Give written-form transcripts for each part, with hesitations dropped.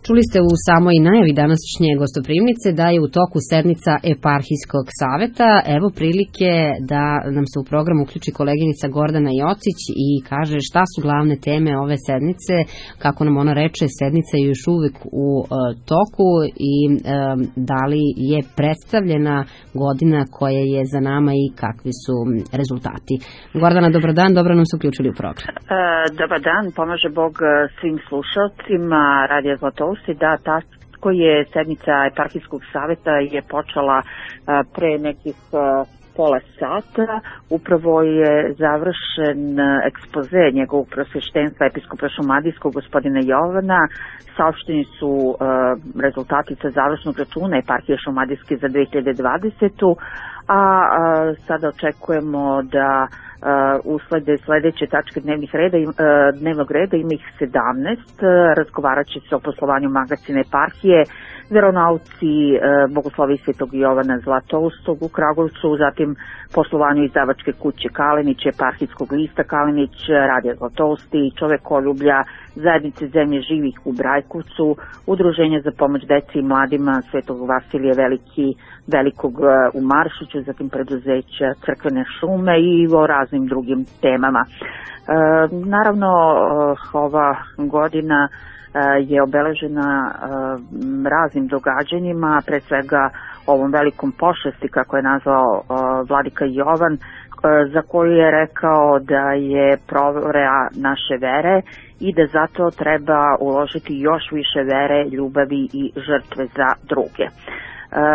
Čuli ste u samoj najavi današnje gostoprimnice da je u toku sednica Eparhijskog saveta. Evo prilike da nam se u program uključi koleginica Gordana Jocić i kaže šta su glavne teme ove sednice. Kako nam ona reče, sednica je još uvek u toku i da li je predstavljena godina koja je za nama i kakvi su rezultati. Gordana, dobar dan, dobro nam se uključili u program. Dobar dan, pomaže Bog svim slušalcima Radija Zlatousti. Da, tako je sednica Eparhijskog saveta je počela pre nekih pola sata. Upravo je završen ekspoze njegovog prosveštenstva episkopa šumadijskog gospodina Jovana. Saopšteni su rezultati sa završnog računa Eparhije šumadijske za 2020. A sada očekujemo da uslede sledeće tačke dnevnog reda, ima ih 17, razgovarat će se o poslovanju magacine Eparhije, veronauci Bogoslovi Svetog Jovana Zlatoustog u Kragujevcu, zatim poslovanju izdavačke kuće Kalenić, Eparhijskog lista Kalenić, Radija Zlatousti, Čovekoljublja, Zajednice zemlje živih u Brajkovcu, Udruženja za pomoć deci i mladima Svetog Vasilija Velikog u Maršiću, zatim preduzeća Crkvene šume i o raznim drugim temama. Naravno, ova godina je obeležena raznim događanjima, pre svega ovom velikom pošasti, kako je nazvao vladika Jovan, za koju je rekao da je provera naše vere i da zato treba uložiti još više vere, ljubavi i žrtve za druge.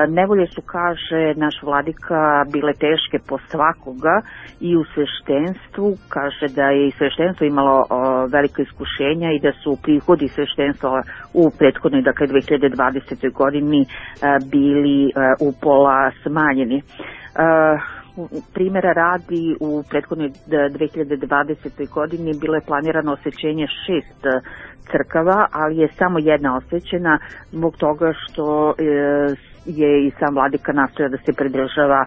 Nevolje su, kaže naš vladika, bile teške po svakoga i u sveštenstvu, kaže da je i sveštenstvo imalo velika iskušenja i da su prihodi sveštenstva u prethodnoj, dakle 2020. godini bili upola smanjeni. Primjera radi, u prethodnoj 2020. godini bilo je planirano osvećenje 6 crkava, ali je samo jedna osvećena zbog toga što je i sam vladika nastojao da se pridržava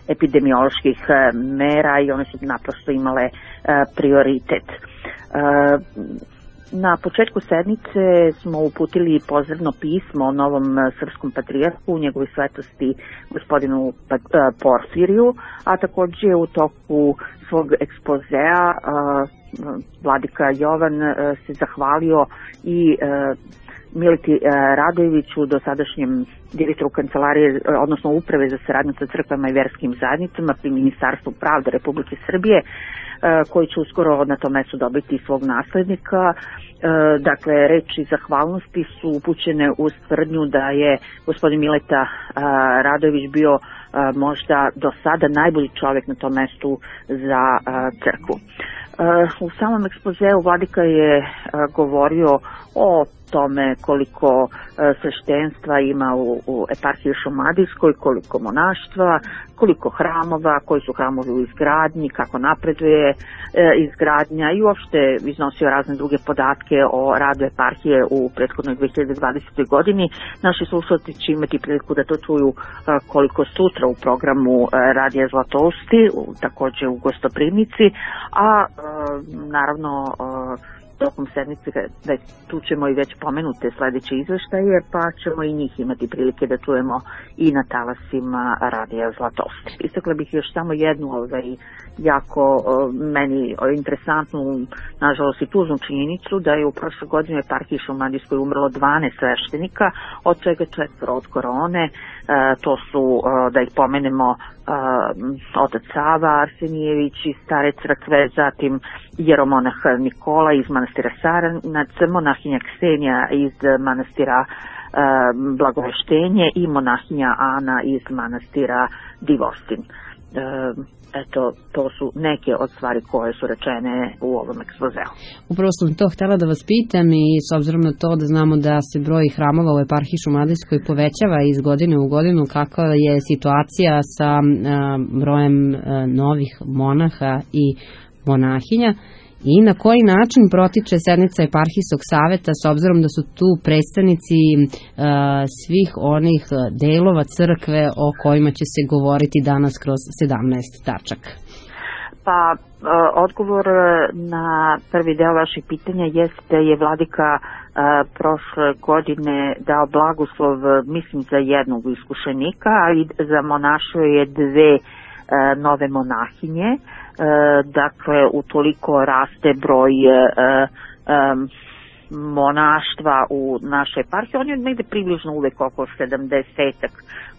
epidemioloških mera i one su naprosto imale prioritet. Na početku sednice smo uputili pozdravno pismo o novom srpskom njegovoj svetosti gospodinu Porfiriju, a takođe u toku svog ekspozea vladika Jovan se zahvalio i Mileti Radojeviću, dosadašnjem direktoru kancelarije, odnosno uprave za saradnju sa crkvama i verskim zajednicama pri Ministarstvu pravde Republike Srbije, koji će uskoro na tom mestu dobiti svog naslednika. Dakle, reči zahvalnosti su upućene uz tvrdnju da je gospodin Mileta Radojević bio možda do sada najbolji čovjek na tom mestu za crkvu. U samom ekspozeu vladika je govorio o tome koliko sveštenstva ima u Eparhiji šumadijskoj, koliko monaštva, koliko hramova, koji su hramovi u izgradnji, kako napreduje izgradnja i uopšte iznosio razne druge podatke o radu Eparhije u prethodnoj 2020. godini. Naši slušalci će imati priliku da to čuju koliko sutra u programu Radija Zlatousti, takođe u gostoprimnici, a naravno tokom sedmice tu ćemo i već pomenute sledeće izveštaje, pa ćemo i njih imati prilike da čujemo i na talasima Radija Zlatousti. Istakla bih još samo jednu jako meni interesantnu, nažalost i tužnu činjenicu, da je u prošle godine u Eparhiji šumadijskoj umrlo 12 sveštenika, od čega 4 od korone. To su, da ih pomenemo, otac Sava Arsenijević iz Stare crkve, zatim jeromonah Nikola iz manastira Saranac, monahinja Ksenija iz manastira Blagoveštenje i monahinja Ana iz manastira Divostin. Eto, to su neke od stvari koje su rečene u ovom ekspozeu. Upravo sam to htjela da vas pitam i s obzirom na to da znamo da se broj hramova u Eparhiji šumadijskoj povećava iz godine u godinu, kakva je situacija sa brojem novih monaha i monahinja i na koji način protiče sednica Eparhijskog saveta s obzirom da su tu predstavnici svih onih delova crkve o kojima će se govoriti danas kroz 17 tačaka? Pa odgovor na prvi deo vaših pitanja jeste da je vladika prošle godine dao blagoslov, mislim, za jednog iskušenika, ali za monašio je 2 nove monahinje. Dakle, utoliko raste broj monaštva u našoj eparhiji. On je negde približno uvek oko 70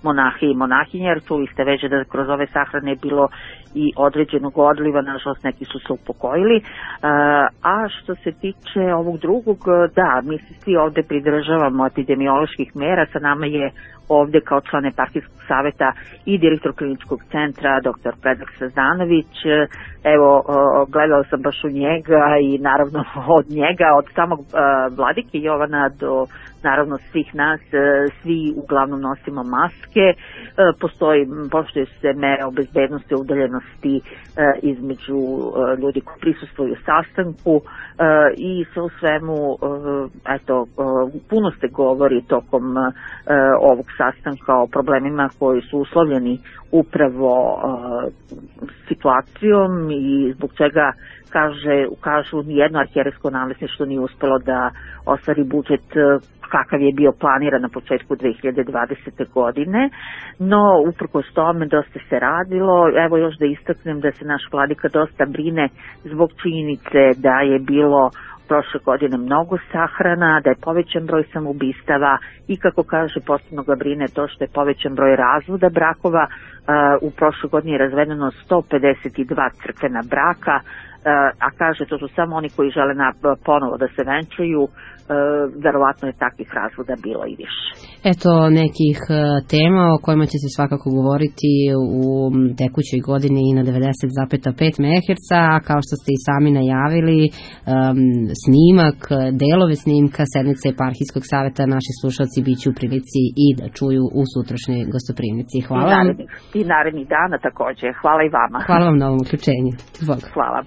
monahi i monahinja, jer čuli ste već da kroz ove sahrane je bilo i određenog odliva, nažalost neki su se upokojili. A što se tiče ovog drugog, da, mi se svi ovde pridržavamo epidemioloških mera. Sa nama je ovde kao član eparhijskog saveta i direktor kliničkog centra dr. Predrag Sazanović. Evo, gledala sam baš u njega i naravno od njega, od samog vladike Jovana do naravno svih nas, svi uglavnom nosimo maske. Poštuju se mere o bezbednosti, o udaljenosti između ljudi koji prisustvuju sastanku i sve u svemu, eto, puno se govori tokom ovog sastanka o problemima koji su uslovljeni upravo situacijom i zbog čega kažu nijedno arhijerejsko namesništvo nije uspelo da ostvari budžet kakav je bio planiran na početku 2020. godine, no uprkos tome dosta se radilo. Evo još da istaknem da se naš vladika dosta brine zbog činjenice da je bilo prošle godine mnogo sahrana, da je povećan broj samoubistava i kako kaže posebno ga brine to što je povećan broj razvoda brakova. U prošle godini je razvedeno 152 crkvena braka, a kaže to su samo oni koji žele ponovo da se venčaju. Verovatno je takvih razvoda bilo i više. Eto nekih tema o kojima će se svakako govoriti u tekućoj godini i na 90,5 MHz, a kao što ste i sami najavili, snimak, delove snimka sednice eparhijskog saveta naši slušalci biće u prilici i da čuju u sutrašnjoj gostoprimnici. Hvala vam. I narednih dana takođe. Hvala i vama. Hvala vam na ovom uključenju. Bog. Hvala.